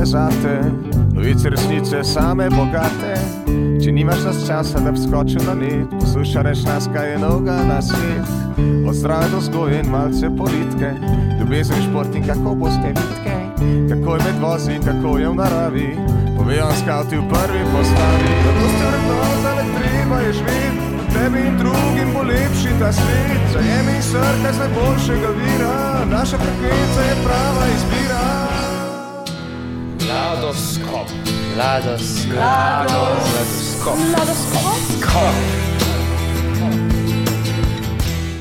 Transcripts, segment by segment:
je zate, novice resnice same bogate. Če nimaš nas časa, da bi skočil na net, poslušaj reč nas, kaj je novega na svet. Od zdrave do vzgoje in malce politike, ljubezen, šport in kako boste vitke, kako je med vozi in kako je v naravi, povejo vam skavti v prvi postavi. Zato ste vrednota, le treba je živeti, tebi in drugim bo lepši ta svet. Zajemi in srkaj z najboljšega vira, naša frekvenca je prava izbira. Mladoskop.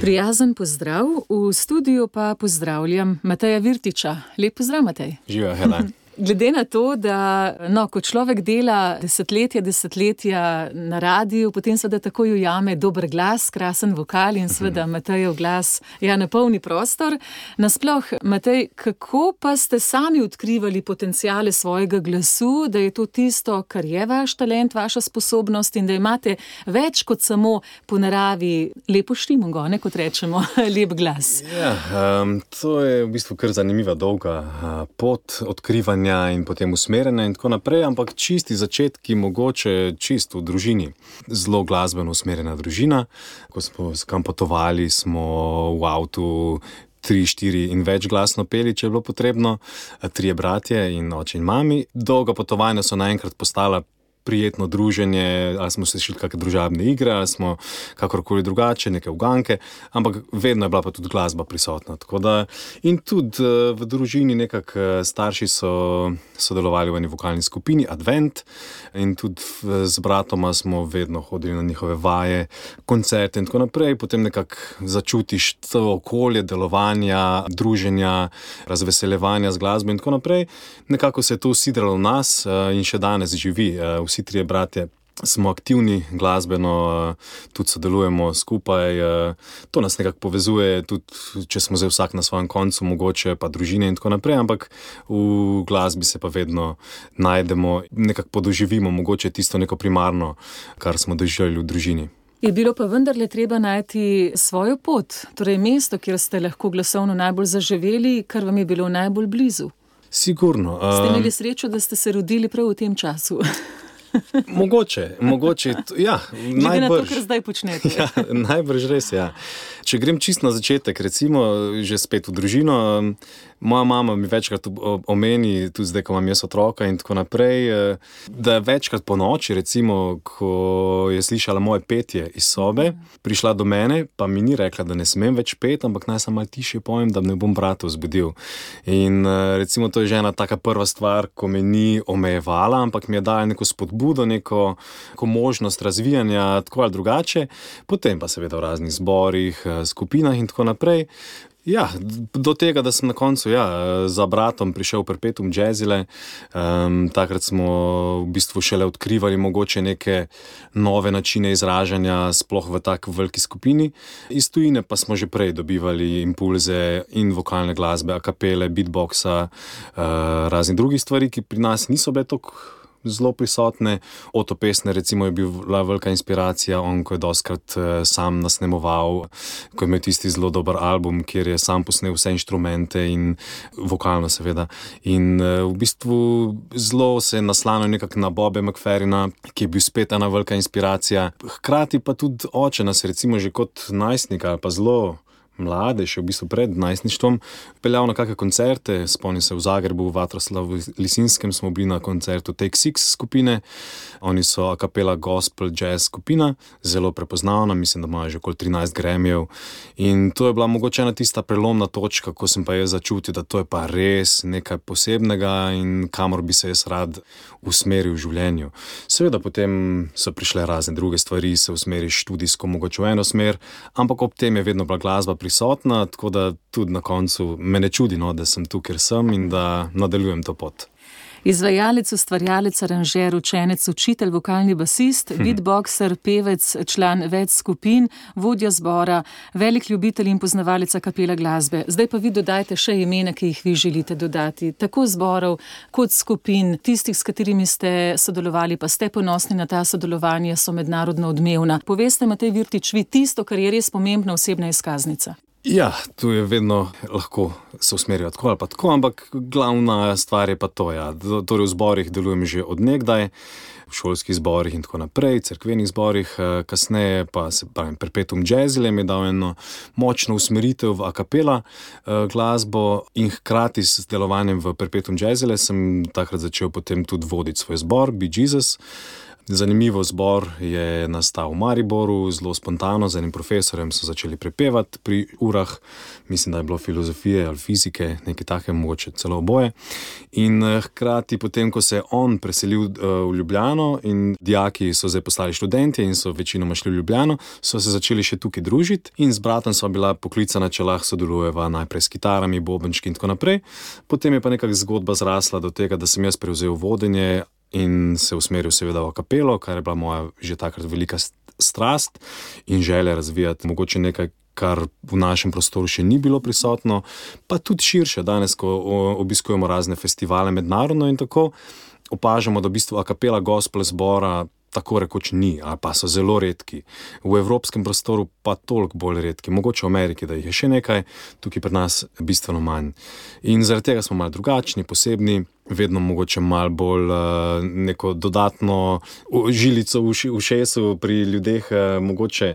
Prijazen pozdrav, v studiu pa pozdravljam Mateja Virtiča. Lep pozdrav, Matej. Živijo, Hela. Glede na to, da ko človek dela desetletja na radiju, potem seveda takoj ujame dober glas, krasen vokal in seveda Matejev glas napolni prostor. Nasploh, Matej, kako pa ste sami odkrivali potenciale svojega glasu, da je to tisto, kar je vaš talent, vaša sposobnost in da imate več kot samo po naravi lepo štimongo, kot rečemo, lep glas? Ja, to je v bistvu kar zanimiva dolga pot odkrivanja in potem usmerjena in tako naprej, ampak čisti začetki mogoče čisto v družini. Zelo glasbeno usmerjena družina. Ko smo kam potovali, smo v avtu 3, 4 in več glasno peli, če je bilo potrebno. 3 bratje in oče in mami. Dolga potovanja so naenkrat postala prijetno druženje, ali smo se šli kakšne družabne igre, ali smo kakorkoli drugače, neke uganke, ampak vedno je bila pa tudi glasba prisotna. Tako da, in tudi v družini nekako starši so sodelovali v eni vokalni skupini Advent in tudi z bratoma smo vedno hodili na njihove vaje, koncerte in tako naprej. Potem nekako začutiš to okolje delovanja, druženja, razveseljevanja z glasbo in tako naprej. Nekako se je to usidralo v nas in še danes živi. Vsi 3 bratje smo aktivni glasbeno, tudi sodelujemo skupaj. To nas nekako povezuje, tudi če smo zdaj vsak na svojem koncu, mogoče pa družine in tako naprej, ampak v glasbi se pa vedno najdemo, nekako podoživimo mogoče tisto neko primarno, kar smo doživljali v družini. Je bilo pa vendarle treba najti svojo pot, torej mesto, kjer ste lahko glasovno najbolj zaživeli, kar vam je bilo najbolj blizu? Sigurno. Ste imeli srečo, da ste se rodili prav v tem času? Mogoče, ja, glede na to, kar zdaj počnete. Ja, najbrž res, ja. Če grem čisto na začetek, recimo, že spet v družino, moja mama mi večkrat omeni, tudi zdaj, ko imam jaz otroka in tako naprej, da je večkrat po noči, recimo, ko je slišala moje petje iz sobe, prišla do mene, pa mi ni rekla, da ne smem več peti, ampak naj sem malo tišje pojem, da ne bom brata vzbudil. In recimo, to je že ena taka prva stvar, ko me ni omejevala, ampak mi je dala neko spodbudo, neko možnost razvijanja, tako ali drugače. Potem pa seveda v raznih zborih, skupinah in tako naprej. Ja, do tega, da sem na koncu za bratom prišel v Perpetuum Jazzile. Takrat smo v bistvu šele odkrivali mogoče neke nove načine izražanja, sploh v tako veliki skupini. Iz tujine pa smo že prej dobivali impulze in vokalne glasbe, a kapele, beatboxa, raznih drugih stvari, ki pri nas niso bile toliko zelo prisotne. Oto Pestner recimo je bila velika inspiracija, on ko je dostkrat sam nasnemoval, ko je imel tisti zelo dober album, kjer je sam posnel vse inštrumente in vokalno seveda. In v bistvu zelo se je naslanil nekako na Boba McFerrina, ki je bil spet ena velika inspiracija. Hkrati pa tudi oče nas recimo že kot najstnik ali pa zelo mlade, še v bistvu pred najstništvom, peljal na kakšne koncerte. Spomnim se v Zagrebu, v Vatroslavu Lisinskem smo bili na koncertu Take Six skupine. Oni so a capella gospel jazz skupina, zelo prepoznavna, mislim, da imajo že okoli 13 Grammyjev. In to je bila mogoče ena tista prelomna točka, ko sem pa jaz začutil, da to je pa res nekaj posebnega in kamor bi se jaz rad usmeril v življenju. Seveda potem so prišle razne druge stvari, se usmeriš študijsko mogoče v eno smer, ampak ob tem je vedno bila glasba prisotna, tako da tudi na koncu me ne čudi, da sem tu, kjer sem in da nadaljujem to pot. Izvajalec, ustvarjalec, aranžer, učenec, učitelj, vokalni basist, beatboxer, pevec, član več skupin, vodja zbora, velik ljubitelj in poznavalec a capella glasbe. Zdaj pa vi dodajte še imena, ki jih vi želite dodati, tako zborov kot skupin, tistih, s katerimi ste sodelovali, pa ste ponosni na ta sodelovanje, so mednarodno odmevna. Poveste, Matej Virtič, vi tisto, kar je res pomembna osebna izkaznica. Ja, tu je vedno lahko se usmerijo tako ali pa tako, ampak glavna stvar je pa to, ja. Torej v zborih delujem že od nekdaj, v šolskih zborih in tako naprej, cerkvenih zborih, kasneje pa se pravim, Perpetuum Jazzile mi je dal eno močno usmeritev v a cappella glasbo in hkrati s delovanjem v Perpetuum Jazzile sem takrat začel potem tudi voditi svoj zbor, Be Jesus. Zanimivo, zbor je nastal v Mariboru, zelo spontano, z enim profesorjem so začeli prepevati pri urah, mislim, da je bilo filozofije ali fizike, nekaj take, mogoče celo oboje. In hkrati potem, ko se je on preselil v Ljubljano in dijaki so zdaj postali študentje in so večinoma šli v Ljubljano, so se začeli še tukaj družiti in z bratom sva bila poklicana, če lahko sodelujeva najprej s kitarami, bobenčki in tako naprej. Potem je pa nekako zgodba zrasla do tega, da sem jaz prevzel vodenje in se usmeril seveda v a cappello, kar je bila moja že takrat velika strast in želja razvijati mogoče nekaj, kar v našem prostoru še ni bilo prisotno, pa tudi širše danes, ko obiskujemo razne festivale mednarodno in tako, opažamo, da v bistvu a cappella gospel zbora tako rekoč ni, ali pa so zelo redki. V evropskem prostoru pa toliko bolj redki, mogoče v Ameriki, da jih je še nekaj, tukaj pri nas bistveno manj. In zaradi tega smo malo drugačni, posebni, vedno mogoče malo bolj neko dodatno žilico v ušesu pri ljudeh, mogoče,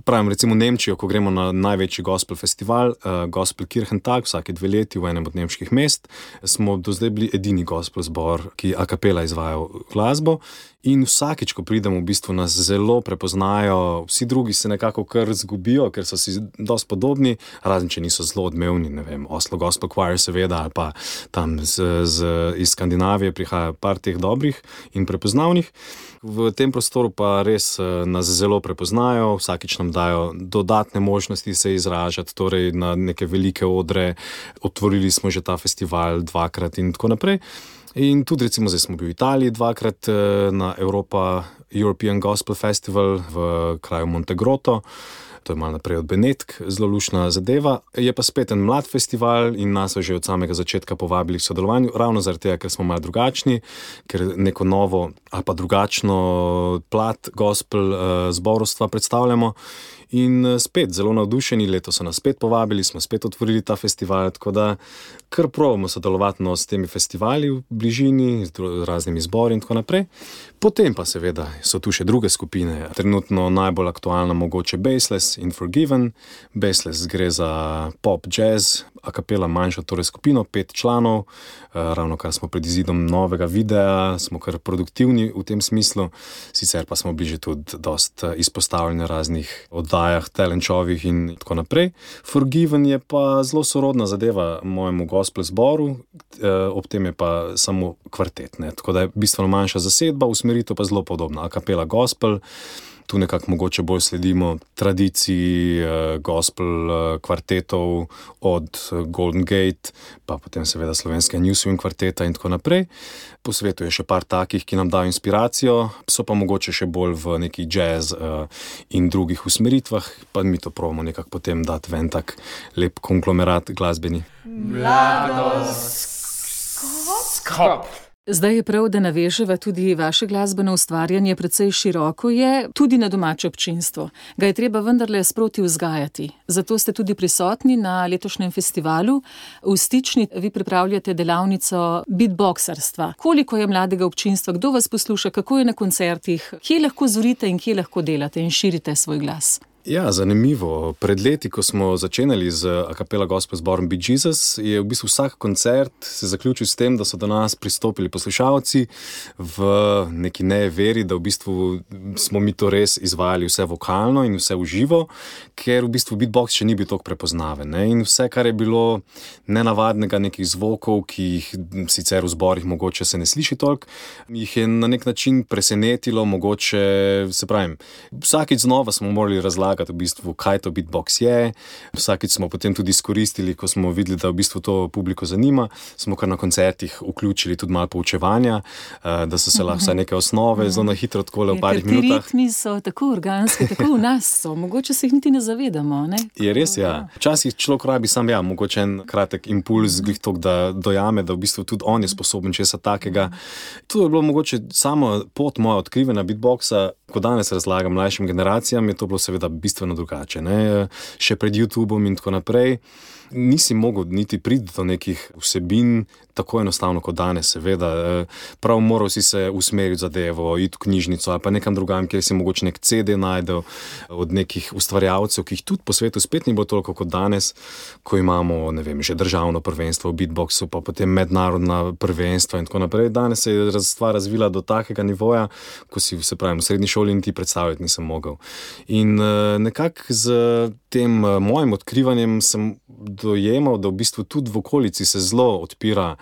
pravim, recimo v Nemčijo, ko gremo na največji gospel festival, Gospel Kirchentag, vsake 2 leti v enem od nemških mest, smo do zdaj bili edini gospel zbor, ki a cappella izvajal glasbo. In vsakič, ko pridemo, v bistvu nas zelo prepoznajo, vsi drugi se nekako kar zgubijo, ker so si dosti podobni, razen če niso zelo odmevni, ne vem, Oslo Gospel Choir seveda, ali pa tam iz Skandinavije prihaja par teh dobrih in prepoznavnih. V tem prostoru pa res nas zelo prepoznajo, vsakič nam dajo dodatne možnosti se izražati, torej na neke velike odre, otvorili smo že ta festival 2-krat in tako naprej. In tudi recimo zdaj smo bili v Italiji 2-krat na European Gospel Festival v kraju Montegrotto, to je malo naprej od Benetk, zelo luštna zadeva. Je pa spet en mlad festival in nas so že od samega začetka povabili k sodelovanju, ravno zaradi tega, ker smo malo drugačni, ker neko novo ali pa drugačno plat gospel zborovstva predstavljamo. In spet zelo navdušeni, letos so nas spet povabili, smo spet otvorili ta festival, tako da kar probamo sodelovati s temi festivali v bližini, z raznimi zbori in tako naprej. Potem pa seveda so tu še druge skupine, trenutno najbolj aktualna mogoče Baseless in Forgiven. Baseless gre za pop, jazz, a cappella manjša torej skupino, 5 članov, ravno kar smo pred izidom novega videa, smo kar produktivni v tem smislu, sicer pa smo bili že tudi dosti izpostavljeni raznih oddajah, talent showih in tako naprej. Forgiven je pa zelo sorodna zadeva mojemu gospel zboru, ob tem je pa samo kvartet, ne? Tako da je bistveno manjša zasedba, usmeritev pa zelo podobna, a cappella gospel. Tu nekako mogoče bolj sledimo tradiciji gospel kvartetov od Golden Gate, pa potem seveda slovenskega New Swing kvarteta in tako naprej. Po svetu je še par takih, ki nam dajo inspiracijo, so pa mogoče še bolj v neki jazz in drugih usmeritvah, pa mi to probamo nekako potem dati ven tak lep konglomerat glasbeni. Skop. Zdaj je prav, da naveževa tudi vaše glasbeno ustvarjanje, precej široko je, tudi na domače občinstvo. Ga je treba vendarle sproti vzgajati. Zato ste tudi prisotni na letošnjem festivalu. V Stični vi pripravljate delavnico beatboxerstva. Koliko je mladega občinstva, kdo vas posluša, kako je na koncertih, kje lahko zorite in kje lahko delate in širite svoj glas? Ja, zanimivo. Pred leti, ko smo začenjali z a cappella gospel zborom Be Jesus, je v bistvu vsak koncert se zaključil s tem, da so do nas pristopili poslušalci v neki neveri, da v bistvu smo mi to res izvajali vse vokalno in vse v živo, ker v bistvu beatbox še ni bil toliko prepoznaven, ne? In vse, kar je bilo nenavadnega, nekih zvokov, ki jih sicer v zborih mogoče se ne sliši toliko, jih je na nek način presenetilo, mogoče, se pravim, vsakič znova smo morali razlagati v bistvu, kaj to beatbox je. Vsakič smo potem tudi izkoristili, ko smo videli, da v bistvu to publiko zanima, smo kar na koncertih vključili tudi malo poučevanja, da so se lahko vsaj neke osnove zelo na hitro takole v parih minutah. Ti ritmi so tako organski, tako v nas so, mogoče se jih niti ne zavedamo, ne? Je res, ja. Včasih človek rabi sam, ja, mogoče en kratek impuls, glih tok, da dojame, da v bistvu tudi on je sposoben česa takega. To je bilo mogoče samo pot moja odkrivena beatboxa, ko danes razlagam mlajšim generacijam, je to bilo seveda bistveno drugače. Ne? Še pred YouTubeom in tako naprej nisi mogel niti priti do nekih vsebin tako enostavno kot danes, seveda. Prav moral si se usmeriti zadevo, iti v knjižnico ali pa nekam drugam, kjer si mogoče nek CD najdel od nekih ustvarjalcev, ki jih tudi po svetu spet ni bilo toliko kot danes, ko imamo, ne vem, že državno prvenstvo v beatboxu, pa potem mednarodna prvenstva in tako naprej. Danes se je stvar razvila do takega nivoja, ko si, se pravim, v srednji šoli niti predstavljati nisem mogel. In nekako z tem mojim odkrivanjem sem dojemal, da v bistvu tudi v okolici se zelo odpira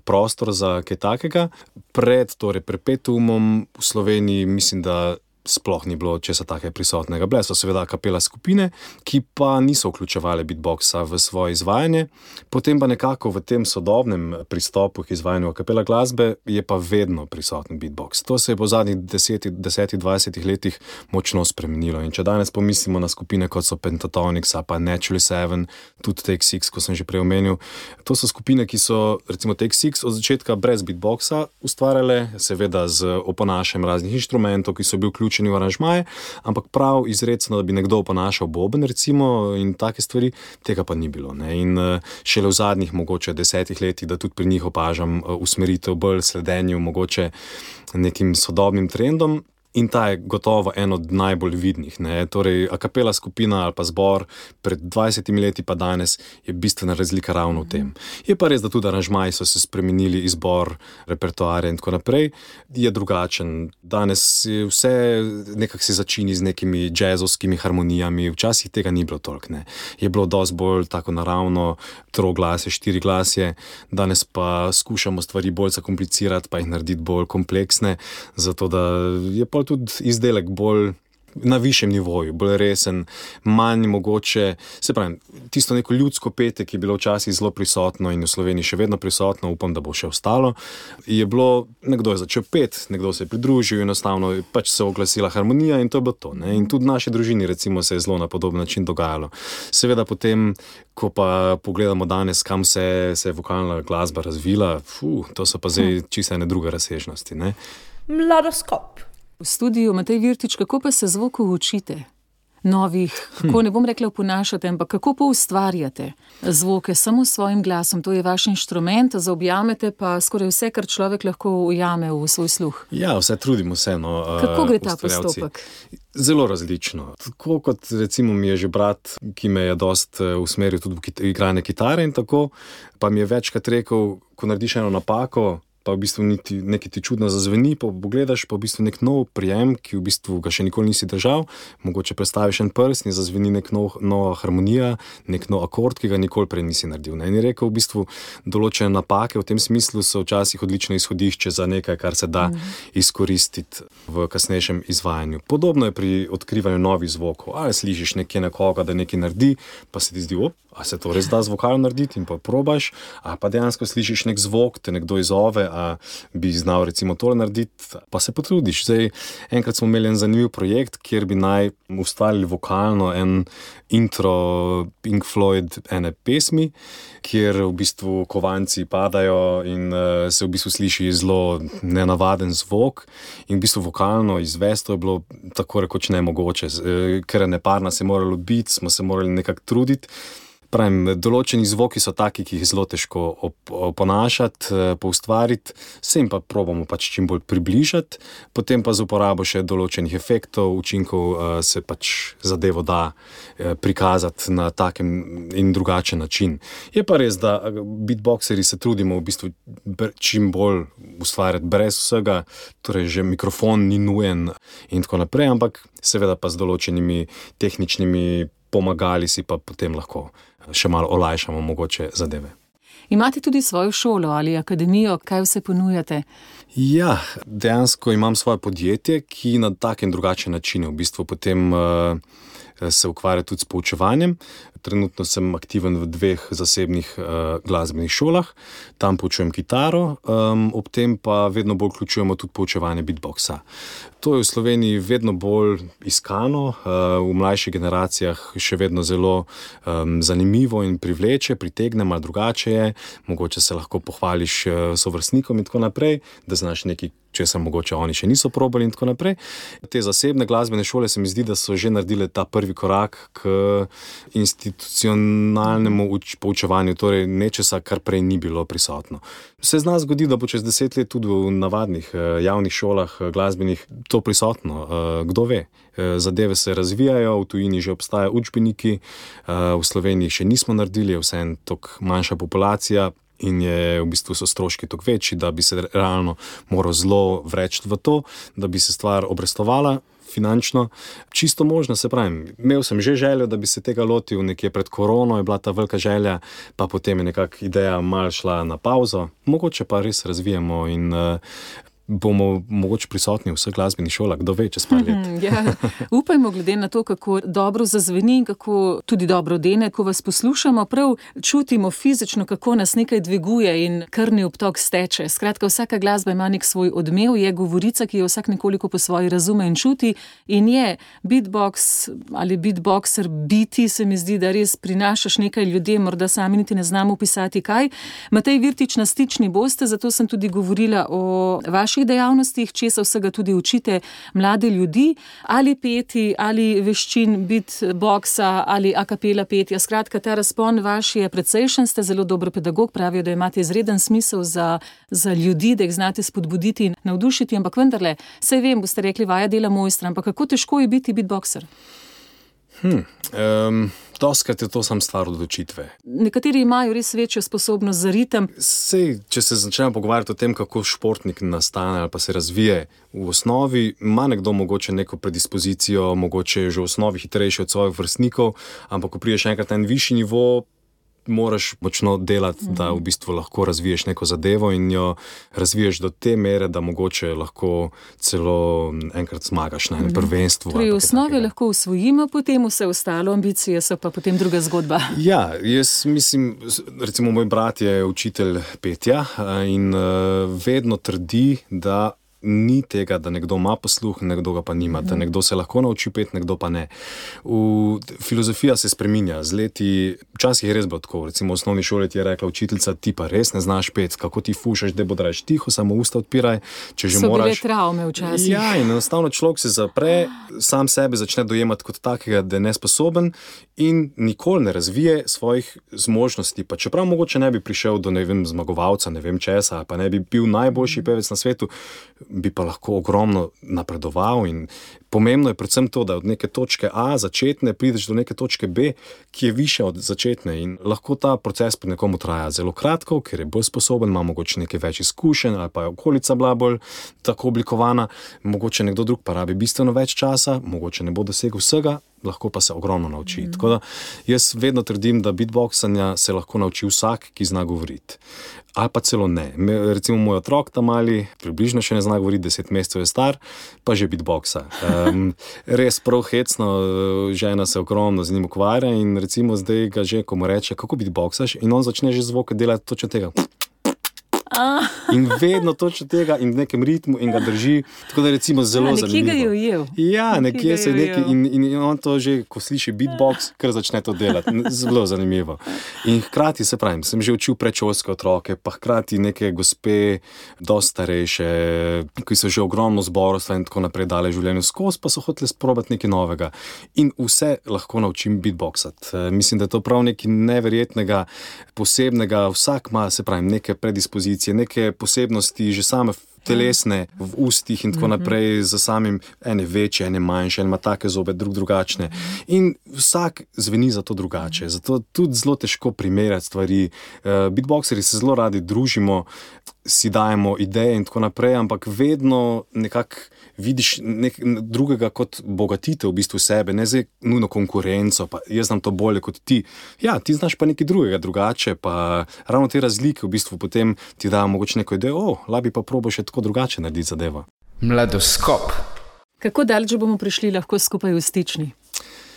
prostor za kaj takega. Pred Perpetuumom v Sloveniji mislim, da sploh ni bilo česa takega prisotnega. Bile so seveda a capella skupine, ki pa niso vključevali beatboxa v svoje izvajanje. Potem pa nekako v tem sodobnem pristopu k izvajanju a capella glasbe je pa vedno prisoten beatbox. To se je po zadnjih 10-20 letih močno spremenilo. In če danes pomislimo na skupine, kot so Pentatonix, pa Naturally Seven, tudi Take Six, ko sem že prej omenil, to so skupine, ki so, recimo Take Six, od začetka brez beatboxa ustvarjale, seveda z oponašanjem raznih inštrumentov, ki so bili vključeni v aranžmaje, ampak prav izrecno, da bi nekdo oponašal boben, recimo, in take stvari, tega pa ni bilo. Ne? In šele v zadnjih mogoče 10 letih, da tudi pri njih opažam usmeritev bolj sledenju mogoče nekim sodobnim trendom. In ta je gotovo en od najbolj vidnih. Ne? Torej, a capella skupina ali pa zbor pred 20 leti pa danes je bistvena razlika ravno v tem. Je pa res, da tudi aranžmaji so se spremenili, izbor repertoarja in tako naprej. Je drugačen. Danes je vse nekako se začini z nekimi jazzovskimi harmonijami. Včasih tega ni bilo toliko. Ne? Je bilo dosti bolj tako naravno, troglasje, štiriglasje. Danes pa skušamo stvari bolj zakomplicirati, pa jih narediti bolj kompleksne, zato da je tudi izdelek bolj na višjem nivoju, bolj resen, manj mogoče, se pravi, tisto neko ljudsko petje, ki je bilo včasih zelo prisotno in v Sloveniji še vedno prisotno, upam, da bo še ostalo, je bilo, nekdo je začel peti, nekdo se je pridružil, enostavno pač se oglasila harmonija in to je bilo to. Ne? In tudi v naši družini recimo se je zelo na podoben način dogajalo. Seveda potem, ko pa pogledamo danes, kam se je vokalna glasba razvila, to so pa zdaj čisto ene druge razsežnosti. Ne? Mladoskop. V studiu Matej Virtič, kako pa se zvokov učite? Novih, kako ne bom rekla oponašate, ampak kako pa ustvarjate zvoke samo s svojim glasom? To je vaš inštrument, zaobjamete pa skoraj vse, kar človek lahko ujame v svoj sluh. Ja, vse trudimo se. Kako gre ta postopek? Zelo različno. Tako kot recimo mi je že brat, ki me je dost usmeril tudi v igranje kitare in tako, pa mi je večkrat rekel, ko narediš eno napako, pa v bistvu nekaj ti čudno zazveni, pa pogledaš pa v bistvu nek nov prijem, ki v bistvu ga še nikoli nisi držal, mogoče predstaviš en prst in zazveni nek nova harmonija, nek nov akord, ki ga nikoli prej nisi naredil. Ne? In je rekel, v bistvu določene napake v tem smislu so včasih odlično izhodišče za nekaj, kar se da izkoristiti v kasnejšem izvajanju. Podobno je pri odkrivanju novih zvokov. Ali slišiš nekje nekoga, da nekaj naredi, pa se ti zdi, a se to res da z vokalom narediti in pa probaš, a pa dejansko slišiš nek zvok, te nekdo izove, a bi znal recimo tole narediti, pa se potrudiš. Zdaj, enkrat smo imeli en zanimiv projekt, kjer bi naj ustvarili vokalno en intro Pink Floyd ene pesmi, kjer v bistvu kovanci padajo in se v bistvu sliši zelo nenavaden zvok in v bistvu vokalno izvesti to je bilo tako rekoč nemogoče, ker neparna se je moralo biti, smo se morali nekako truditi. Pravim, določeni zvoki so taki, ki jih zelo težko oponašati, poustvariti, se jim pa probamo pač čim bolj približati, potem pa z uporabo še določenih efektov, učinkov se pač zadevo da prikazati na takem in drugačen način. Je pa res, da beatboxeri se trudimo v bistvu čim bolj ustvarjati brez vsega, torej že mikrofon ni nujen in tako naprej, ampak seveda pa z določenimi tehničnimi pomagali si pa potem lahko še malo olajšamo mogoče zadeve. Imate tudi svojo šolo ali akademijo, kaj vse ponujate? Ja, dejansko imam svoje podjetje, ki na tak in drugačen način v bistvu potem se ukvarja tudi s poučevanjem. Trenutno sem aktiven v 2 zasebnih glasbenih šolah, tam poučujem kitaro, ob tem pa vedno bolj vključujemo tudi poučevanje beatboxa. To je v Sloveniji vedno bolj iskano, v mlajših generacijah še vedno zelo zanimivo in privleče, pritegne, malo drugače je, mogoče se lahko pohvališ sovrstnikom in tako naprej, da znaš nekaj česar mogoče oni še niso probali in tako naprej. Te zasebne glasbene šole se mi zdi, da so že naredile ta prvi korak k institucionalnemu poučevanju, torej nečesa, kar prej ni bilo prisotno. Se zna zgodi, da bo čez 10 let tudi v navadnih javnih šolah glasbenih to prisotno. Kdo ve? Zadeve se razvijajo, v tujini že obstajajo učbeniki, v Sloveniji še nismo naredili, je vseeno toliko manjša populacija in je v bistvu so stroški toliko večji, da bi se realno moral zelo vreči v to, da bi se stvar obrestovala finančno. Čisto možno, se pravim, imel sem že željo, da bi se tega lotil nekje pred korono, je bila ta velika želja, pa potem je nekako ideja malo šla na pauzo. Mogoče pa res razvijamo in bomo mogoče prisotni v vseh glasbenih šolah, kdo ve, čez par let. Ja, upajmo, glede na to, kako dobro zazveni in kako tudi dobro dene, ko vas poslušamo, prav čutimo fizično, kako nas nekaj dviguje in krvni obtok steče. Skratka, vsaka glasba ima nek svoj odmev, je govorica, ki jo vsak nekoliko po svoji razume in čuti in je beatbox ali beatboxer biti, se mi zdi, da res prinašaš nekaj ljudem, morda sami niti ne znamo opisati kaj. Matej Virtič, na Stični boste, zato sem tudi govorila o vaših dejavnostih, česa vsega tudi učite mlade ljudi, ali peti, ali veščin beatboxa, ali a cappella petja. Skratka, ta razpon vaš je precejšen, ste zelo dober pedagog, pravijo, da imate izreden smisel za ljudi, da jih znate spodbuditi in navdušiti, ampak vendarle, saj vem, boste rekli, vaja dela mojstra, ampak kako težko je biti beatboxer? Doskrat je to sam stvar odločitve. Nekateri imajo res večjo sposobnost za ritem. Sej, če se začnemo pogovarjati o tem, kako športnik nastane ali pa se razvije, v osnovi ima nekdo mogoče neko predispozicijo, mogoče je že v osnovi hitrejši od svojih vrstnikov, ampak ko priješ enkrat na en višji nivo, moraš močno delati, da v bistvu lahko razviješ neko zadevo in jo razviješ do te mere, da mogoče lahko celo enkrat zmagaš na enem prvenstvu. Torej, v osnovi lahko usvojimo, potem vse ostalo, ambicije so pa potem druga zgodba. Ja, jaz mislim, recimo moj brat je učitelj petja in vedno trdi, da ni tega, da nekdo ima posluh, nekdo ga pa nima, da nekdo se lahko nauči peti, nekdo pa ne. Filozofija se spreminja z leti, včasih je res bilo tako, recimo v osnovni šoli ti je rekla učiteljica, ti pa res ne znaš peti, kako ti fušaš, da bodraš tiho, samo usta odpiraj, če že moraš. So bile travme včasih. Ja, in enostavno človek se zapre, sam sebe začne dojemati kot takega, da je nesposoben in nikoli ne razvije svojih zmožnosti, pa čeprav mogoče ne bi prišel do, ne vem, zmagovalca, ne vem česa, pa ne bi bil najboljši pevec na svetu, bi pa lahko ogromno napredoval in pomembno je predvsem to, da od neke točke A začetne prideš do neke točke B, ki je više od začetne in lahko ta proces pri nekomu traja zelo kratko, ker je bolj sposoben, ima mogoče nekaj več izkušenj ali pa je okolica bila bolj tako oblikovana, mogoče nekdo drug pa rabi bistveno več časa, mogoče ne bo dosegel vsega, lahko pa se ogromno nauči. Tako da jaz vedno trdim, da beatboxanja se lahko nauči vsak, ki zna govoriti. Ali pa celo ne. Recimo moj otrok tam mali, približno še ne zna govoriti, 10 mesecev je star, pa že beatboxa. Res prav hecno, žena se ogromno z njim ukvarja in recimo zdaj ga že, ko mu reče, kako beatboxaš, in on začne že zvoke delati točno tega. In vedno točno tega in v nekem ritmu in ga drži, tako da recimo zelo zanimivo. Nekje ga je ujel. Ja, nekje se nekaj in on to že, ko sliši beatbox, kar začne to delati. Zelo zanimivo. In hkrati, se pravim, sem že učil predšolske otroke, pa hkrati neke gospe, dosti starejše, ki so že ogromno zborovstva in tako naprej dale življenju skozi, pa so hoteli sprobati nekaj novega. In vse lahko naučim beatboxati. Mislim, da je to prav nekaj neverjetnega, posebnega. Vsak ima, se pravim, neke predispozicije, neke posebnosti, že same telesne v ustih in tako naprej, za samim ene večje, ene manjše, ene ima take zobe, drugačne. In vsak zveni za to drugače. Zato tudi zelo težko primerjati stvari. Beatboxeri se zelo radi družimo, si dajemo ideje in tako naprej, ampak vedno nekako vidiš drugega kot bogatitev v bistvu sebe, ne zdaj nujno konkurenco, pa jaz znam to bolje kot ti. Ja, ti znaš pa nekaj drugega, drugače, pa ravno te razlike v bistvu potem ti dajo mogoče neko idejo, labi pa probo še tako drugače narediti zadevo. Mladoskop. Kako daleč bomo prišli lahko skupaj v Stični?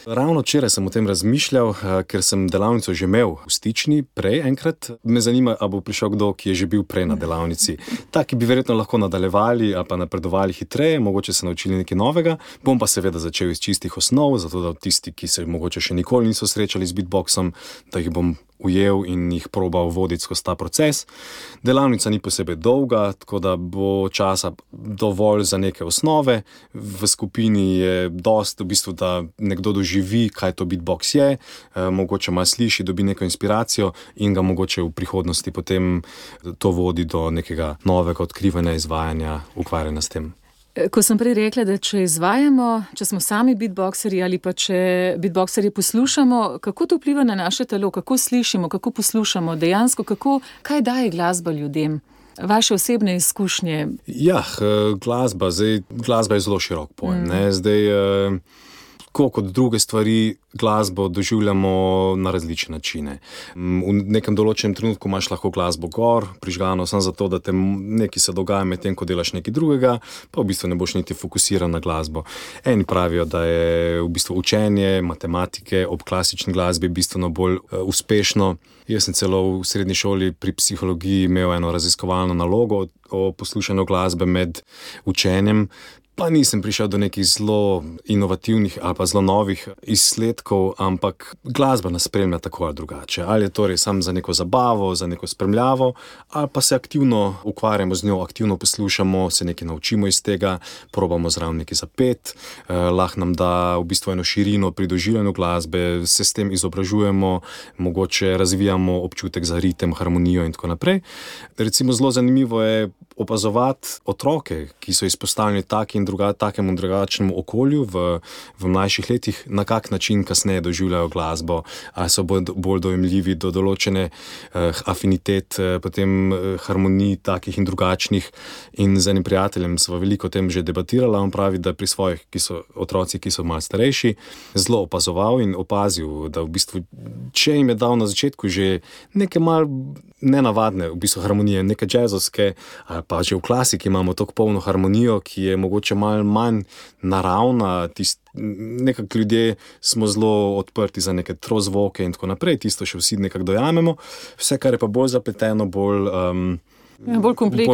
Ravno včeraj sem o tem razmišljal, ker sem delavnico že imel v Stični prej enkrat. Me zanima, ali bo prišel kdo, ki je že bil prej na delavnici. Taki bi verjetno lahko nadaljevali ali pa napredovali hitreje, mogoče se naučili nekaj novega. Bom pa seveda začel iz čistih osnov, zato da tisti, ki se mogoče še nikoli niso srečali z beatboxom, da jih bom ujel in jih probal voditi skozi ta proces. Delavnica ni posebej dolga, tako da bo časa dovolj za neke osnove. V skupini je dost, v bistvu, da nekdo doživi, kaj to beatbox je, mogoče malo sliši, dobi neko inspiracijo in ga mogoče v prihodnosti potem to vodi do nekega novega odkrivanja, izvajanja, ukvarjanja s tem. Ko sem prej rekla, da če izvajamo, če smo sami beatboxerji ali pa če beatboxerji poslušamo, kako to vpliva na naše telo, kako slišimo, kako poslušamo, dejansko, kaj daje glasba ljudem? Vaše osebne izkušnje? Ja, glasba je zelo širok pojem. Zdaj, kot druge stvari, glasbo doživljamo na različne načine. V nekem določenem trenutku imaš lahko glasbo gor, prižgano samo zato, da te nekaj se dogaja med tem, ko delaš nekaj drugega, pa v bistvu ne boš niti fokusiran na glasbo. Eni pravijo, da je v bistvu učenje matematike ob klasični glasbi bistveno bolj uspešno. Jaz sem celo v srednji šoli pri psihologiji imel eno raziskovalno nalogo o poslušanju glasbe med učenjem. Pa nisem prišel do nekih zelo inovativnih ali pa zelo novih izsledkov, ampak glasba nas spremlja tako ali drugače. Ali je torej samo za neko zabavo, za neko spremljavo, ali pa se aktivno ukvarjamo z njo, aktivno poslušamo, se nekaj naučimo iz tega, probamo zraven nekaj zapet, lahko nam da v bistvu eno širino pri doživljanju glasbe, se s tem izobražujemo, mogoče razvijamo občutek za ritem, harmonijo in tako naprej. Recimo zelo zanimivo je opazovati otroke, ki so izpostavljeni takemu drugačnemu okolju v mlajših letih, na kak način kasneje doživljajo glasbo, ali so bolj dojemljivi do določene afinitet, potem harmonij takih in drugačnih. In z enim prijateljem sva veliko o tem že debatirala, on pravi, da pri svojih otroci, ki so malo starejši, zelo opazoval in opazil, da v bistvu, če jim je dal na začetku že neke malo nenavadne v bistvu harmonije, neke džezovske, ali pa že v klasiki imamo tako polno harmonijo, ki je mogoče malo manj naravna, nekako ljudje smo zelo odprti za neke trozvoke in tako naprej, tisto še vsi nekako dojamemo, vse, kar je pa bolj zapleteno, bolj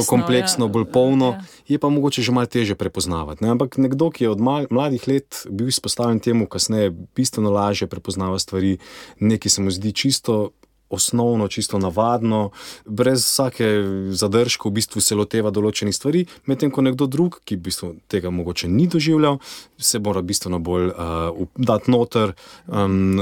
kompleksno, bolj polno, je pa mogoče že malo teže prepoznavati. Ampak nekdo, ki je od mladih let bil izpostavljen temu, kasneje bistveno lažje prepoznava stvari, nekaj se mu zdi čisto osnovno, čisto navadno, brez vsake zadržka v bistvu se loteva določenih stvari, medtem ko nekdo drug, ki v bistvu tega mogoče ni doživljal, se mora bistveno bolj dati noter,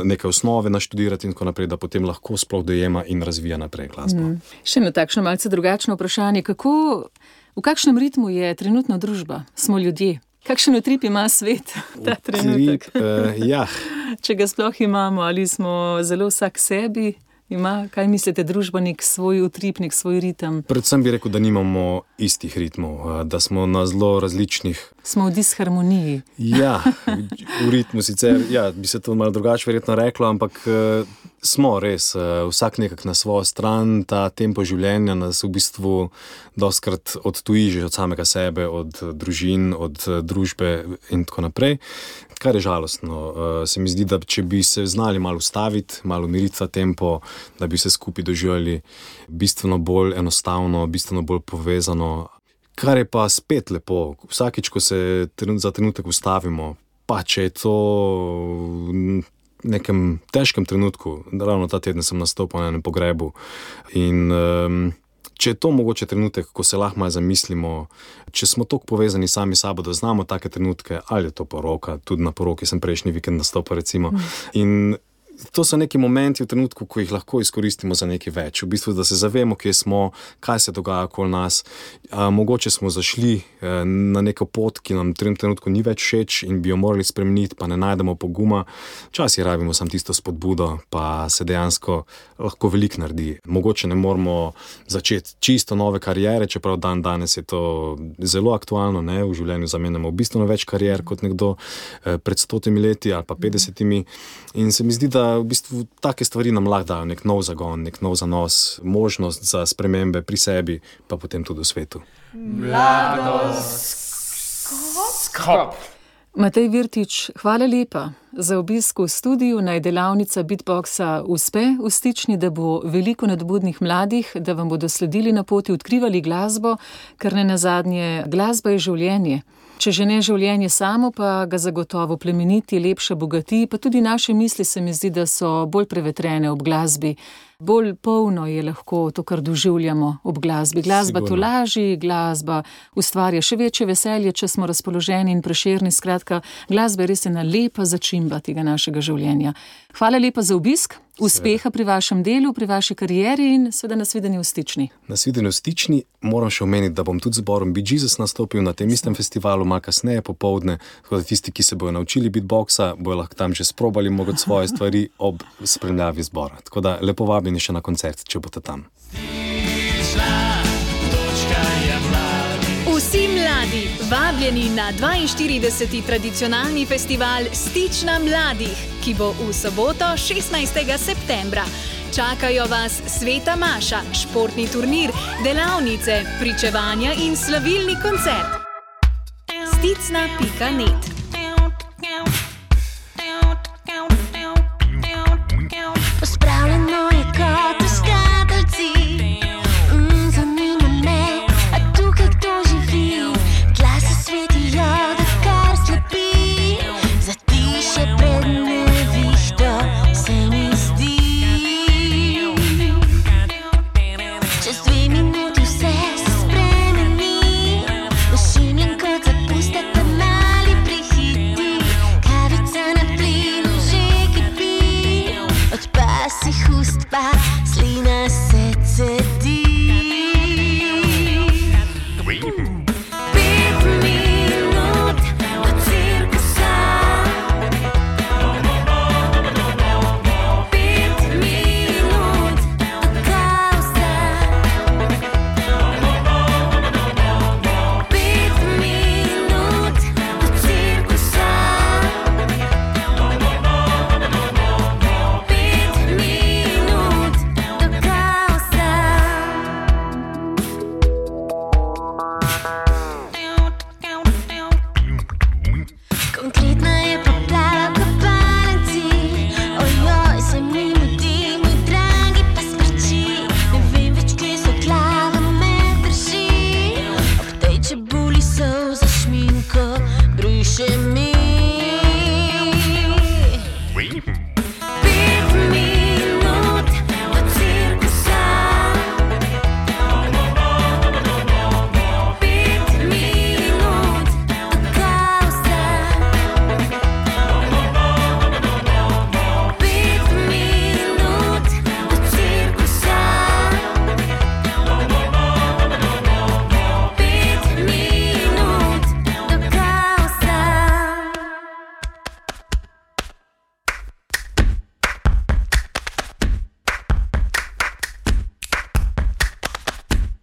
neke osnove naštudirati in tako naprej, da potem lahko sploh dojema in razvija naprej glasbo. Še eno takšno malce drugačno vprašanje. V kakšnem ritmu je trenutno družba? Smo ljudje? Kakšen utrip ima svet ta trenutek? Ja. Če ga sploh imamo, ali smo zelo vsak sebi? Kaj mislite, družba nek svoj utrip, nek svoj ritem? Predvsem bi rekel, da nimamo istih ritmov, da smo na zelo različnih. Smo v disharmoniji. Ja, v ritmu sicer, bi se to malo drugače verjetno reklo, ampak smo res, vsak nekak na svojo stran, ta tempo življenja nas v bistvu dostkrat odtuji že od samega sebe, od družin, od družbe in tako naprej. Kar je žalostno. Se mi zdi, da če bi se znali malo ustaviti, malo umiriti ta tempo, da bi se skupaj doživljali bistveno bolj enostavno, bistveno bolj povezano. Kar je pa spet lepo, vsakič, ko se za trenutek ustavimo, pa če je to v nekem težkem trenutku, ravno ta teden sem nastopil na enem pogrebu in če je to mogoče trenutek, ko se lahko malo zamislimo, če smo toliko povezani sami sabo, da znamo take trenutke, ali je to poroka, tudi na poroki sem prejšnji vikend nastopil recimo. In to so neki momenti v trenutku, ko jih lahko izkoristimo za nekaj več. V bistvu, da se zavemo, kje smo, kaj se dogaja okoli nas. Mogoče smo zašli na neko pot, ki nam v tem trenutku ni več všeč in bi jo morali spremeniti, pa ne najdemo poguma. Včasih rabimo samo tisto spodbudo, pa se dejansko lahko veliko naredi. Mogoče ne moramo začeti čisto nove kariere, čeprav danes je to zelo aktualno, ne? V življenju zamenjamo bistveno več karier kot nekdo pred 100 leti ali pa 50. In se mi zdi, da v bistvu take stvari nam lahko dajo nek nov zagon, nek nov zanos, možnost za spremembe pri sebi, pa potem tudi v svetu. Mladoskop. Matej Virtič, hvala lepa za obisk v studiu. Naj delavnica beatboxa uspe v Stični, da bo veliko nadobudnih mladih, da vam bodo sledili na poti, odkrivali glasbo, ker nenazadnje glasba je življenje. Če že ne življenje samo, pa ga zagotovo plemeniti, lepše bogati, pa tudi naše misli se mi zdi, da so bolj prevetrene ob glasbi. Bolj polno je lahko to, kar doživljamo ob glasbi. Glasba tolaži, glasba ustvarja še večje veselje, če smo razpoloženi in prešerni. Skratka, glasba je res ena lepa začimba tega našega življenja. Hvala lepa za obisk, uspeha pri vašem delu, pri vaši karieri in seveda nasvidenje v Stični. Nasvidenje v Stični. Moram še omeniti, da bom tudi z zborom Bee Jesus nastopil na tem istem festivalu, malo kasneje popoldne, tako da tisti, ki se bojo naučili beatboxa, bojo lahko tam že sprobali mogoče svoje stvari ob spremljavi zbora. Tako da lepo vabim še na koncert, če boste tam. Vsi mladi, vabljeni na 42. tradicionalni festival Stična mladih, ki bo v soboto 16. septembra. Čakajo vas sveta maša, športni turnir, delavnice, pričevanja in slavilni koncert. Sticna.net. Pospravljeno je kot v škatlici, zanima me, a tukaj kdo živi. Glasi svetijo, da kar slepi, zatišje pred nevihto se mi zdi. Čez 2 minuti vse se spremeni, ošimljen kot zapustek pa mali prihiti. Kavica na plinu že kipi, od pasih ust pa slina se cedi. 5 minut do cirkusa, 5 minut do kaosa, 5 minut do cirkusa, 5 minut do kaosa. Konkretna je poplava v kopalnici, ojoj, se mi mudi, moj dragi pa smrči. Ne vem več, kje so glava me drži, ob tej čebuli solza šminko briše mi. 5 minut do cirkusa, 5 minut do kaosa, 5 minut do cirkusa, 5 minut do kaosa. Pet minut do cirkusa, 5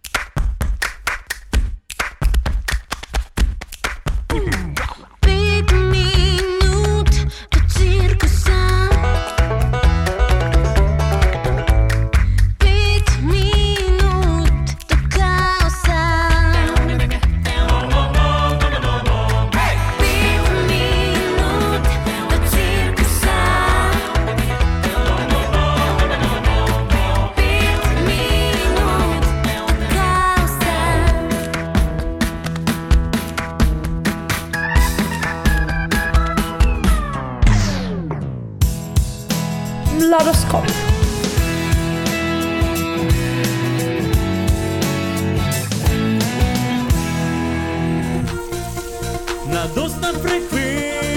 minut do kaosa, 5 minut do cirkusa, 5 minut do kaosa. Mladoskop. Mladostna frekvenca.